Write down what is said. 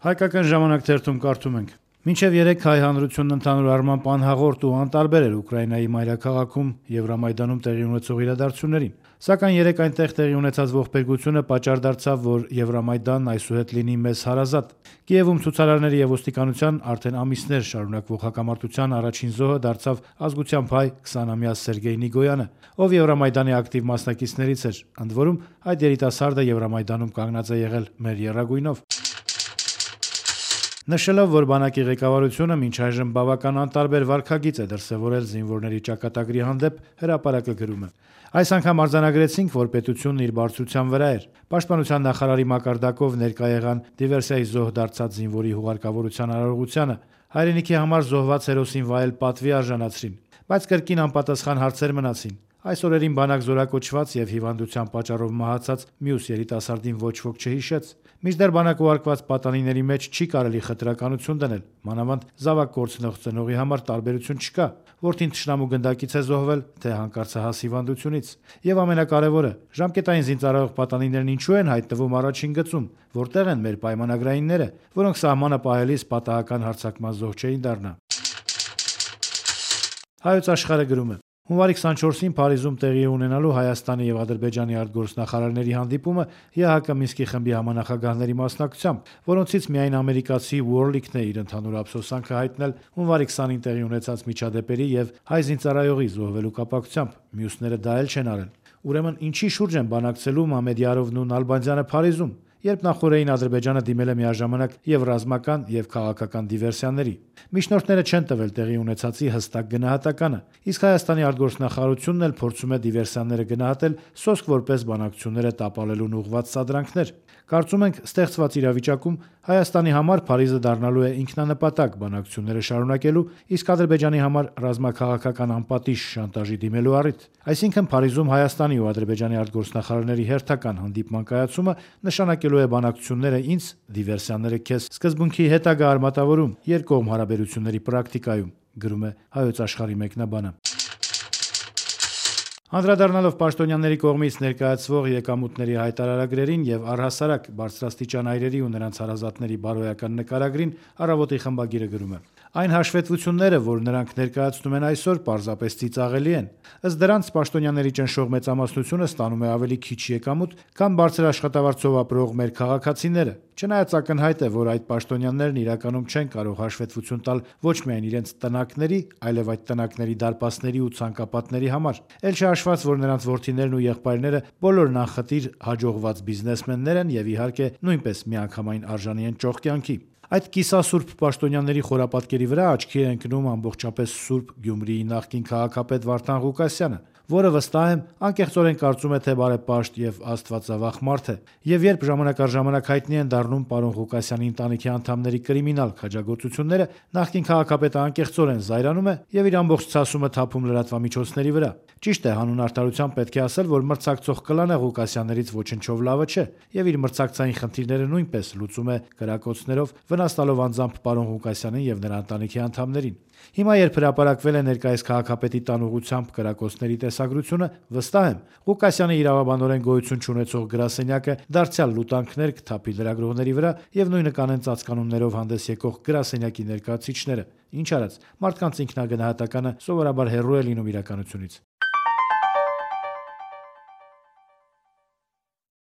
Հայկական ժամանակ թերթում կարդում ենք. Մինչև 3 հայ հանրությունն ընդհանուր առմամբ անհաղորդ ու անտարբեր էր Ուկրաինայի մայրաքաղաքում Եվրամայդանում տեղի ունեցող իրադարձություններին, սակայն 3 այնտեղ տեղի ունեցած ողբերգությունը պատճառ դարձավ, որ Եվրամայդանն այսուհետ լինի մեզ հարազատ։ Կիևում ցուցարարների եւ ոստիկանության արդեն ամիսներ շարունակվող հակամարտության առաջին զոհը դարձավ ազգությամբ հայ 20-ամյա Սերգեյ Նիգոյանը, ով Եվրամայդանի ակտիվ մասնակիցներից էր, ընդ որում այդ երիտասարդը Եվրամայդանում կանգնած է եղել մեր եռագույնով։ Նշելով, որ բանակի ղեկավարությունը մինչ այժմ բավական անտարբեր վարքագիծ է դրսևորել զինվորների ճակատագրի հանդեպ, հրապարակը գրում է. Այս անգամ արձանագրեցինք, որ պետությունն իր բարձրության վրա էր։ Պաշտպանության նախարարի մակարդակով ներկա եղան դիվերսիայի զոհ դարձած զինվորի հուղարկավորության արարողությանը, հայրենիքի համար զոհված հերոսին վայել պատվի արժանացրին, բայց կրկին անպատասխան հարցեր մնացին։ Այս օրերին բանակ զորակոչված եւ հիվանդության պատճառով մահացած մյուս երիտասարդին ոչ ոք չհիշեց։ Մինչդեռ բանակ ուղարկված պատանիների մեջ չի կարելի խտրականություն դնել, մանավանդ զավակ կորցնող ծնողի համար տարբերություն չկա, որդին թշնամու գնդակից է զոհվել, թե հանկարծահաս հիվանդությունից։ Եվ ամենակարևորը, ժամկետային զինծառայող պատանիներն ինչու են հայտնվում առաջին գծում, որտեղ են մեր պայմանագրայինները, որոնք սահմանը պահելիս պատահական հարձակման զոհ չէին դառնա։ Հայոց աշխարհը գրում է. Հունվարի 24-ին Փարիզում տեղի ունենալու Հայաստանի եւ Ադրբեջանի արտգործնախարարների հանդիպումը ԵԱՀԿ Մինսկի խմբի համանախագահների մասնակցությամբ, որոնցից միայն ամերիկացի Ուորլիքն է իր ընդհանուր ափսոսանքը հայտնել հունվարի 20-ին տեղի ունեցած միջադեպերի եւ հայ զինծառայողի զոհվելու կապակցությամբ, մյուսները դա էլ չեն արել։ Ուրեմն ինչի շուրջ են բանակցելու Մամեդյարովն ու Նալբանդյանը Փարիզում, երբ նախորդին Ադրբեջանը դիմել է միաժամանակ եւ ռազմական եւ քաղաքական դիվերսիաների։ Միջնորդները չեն տվել տեղի ունեցածի հստակ գնահատականը, իսկ Հայաստանի արտգործնախարարությունն էլ փորձում է դիվերսիաները գնահատել սոսկ որպես բանակցությունները տապալելուն ուղղված սադրանքներ։ Կարծում ենք, ստեղծված իրավիճակում Հայաստանի համար Փարիզը դառնալու է ինքնանպատակ բանակցությունները շարունակելու, իսկ Ադրբեջանի համար ռազմաքաղաքական անպատիժ շանտաժի դիմելու առիթ։ Այսինքն Փարիզում Հայաստանի ու Ադրբեջանի արտգործնախարարների հերթական հանդիպման կայացումը նշանակելու է բանակցությունները ինձ, դիվերսիաները քեզ սկզբունքի հետագա արմատավորում երկկողմ հարաբերությունների պրակտիկայում, գրում է Հայոց աշխարհի մեկնաբանը։ Անդրադառնալով պաշտոնյաների կողմից ներկայացվող եկամուտների հայտարարագրերին եւ առհասարակ բարձրաստիճան այրերի ու նրանց հարազատների բարոյական նկարագրին, Առավոտի խմբագիրը գրում է. Այն հաշվետվությունները, որ նրանք ներկայացնում են այսօր, պարզապես ծիծաղելի են։ Ըստ դրանց պաշտոնյաների ճնշող մեծամասնությունը ստանում է ավելի քիչ եկամուտ, քան բարձր աշխատավարձով ապրող մեր քաղաքացիները։ Չնայած ակնհայտ է, որ այդ պաշտոնյաներն իրականում չեն կարող հաշվետվություն տալ ոչ միայն իրենց տնակների, այլև այդ տնակների դարպասների ու ցանկապատների համար։ Էլ չհաշված, որ նրանց որդիներն ու եղբայրները բոլորն անխտիր հաջողված բիզնեսմեններ են եւ իհարկե նույնպես միանգամայն արժանի են ճոխ կյանքի։ Այդ կիսասուրբ պաշտոնյաների խորապատկերի վրա աչքի է ընկնում ամբողջապես սուրբ Գյումրիի նախկին քաղաքապետ Վարդան Ղուկասյանը, որը վստահ եմ անկեղծորեն կարծում է, թե բարեպաշտ եւ աստվածավախ մարդ է, եւ երբ ժամանակ առ ժամանակ հայտնի են դառնում պարոն Ղուկասյանի ընտանիքի անդամների կրիմինալ քաջագործությունները, նախկին քաղաքապետը անկեղծորեն զայրանում է եւ իր ամբողջ ցասումը թափում լրատվամիջոցների վրա։ Ճիշտ է, հանուն արդարության պետք է ասել, որ մրցակցող կլանը Ղուկասյաններից ոչնչով լավը չէ եւ իր մրցակցային խնդիրները նույնպես լուծում է կրակոցներով, վնասելով անձամբ պարոն Ղուկասյանին եւ նրա ընտանիքի անդամներին։ Հիմա երբ հրապարակվել է ներկայիս քաղաքապետի տան ուղղությամբ կրակոցների տեսագրությունը, վստահ եմ, Ղուկասյանի իրավաբանորեն գոյություն չունեցող գրասենյակը դարձյալ լուտանքներ կթափի լրագրողների վրա եւ նույնը կանեն ծածկանուններով հանդես եկող գրասենյակի ներկայացուցիչները։ Ինչ արած, մարդկանց ինքնագնահատականը սովորաբար հեռու է լինում իրականությունից։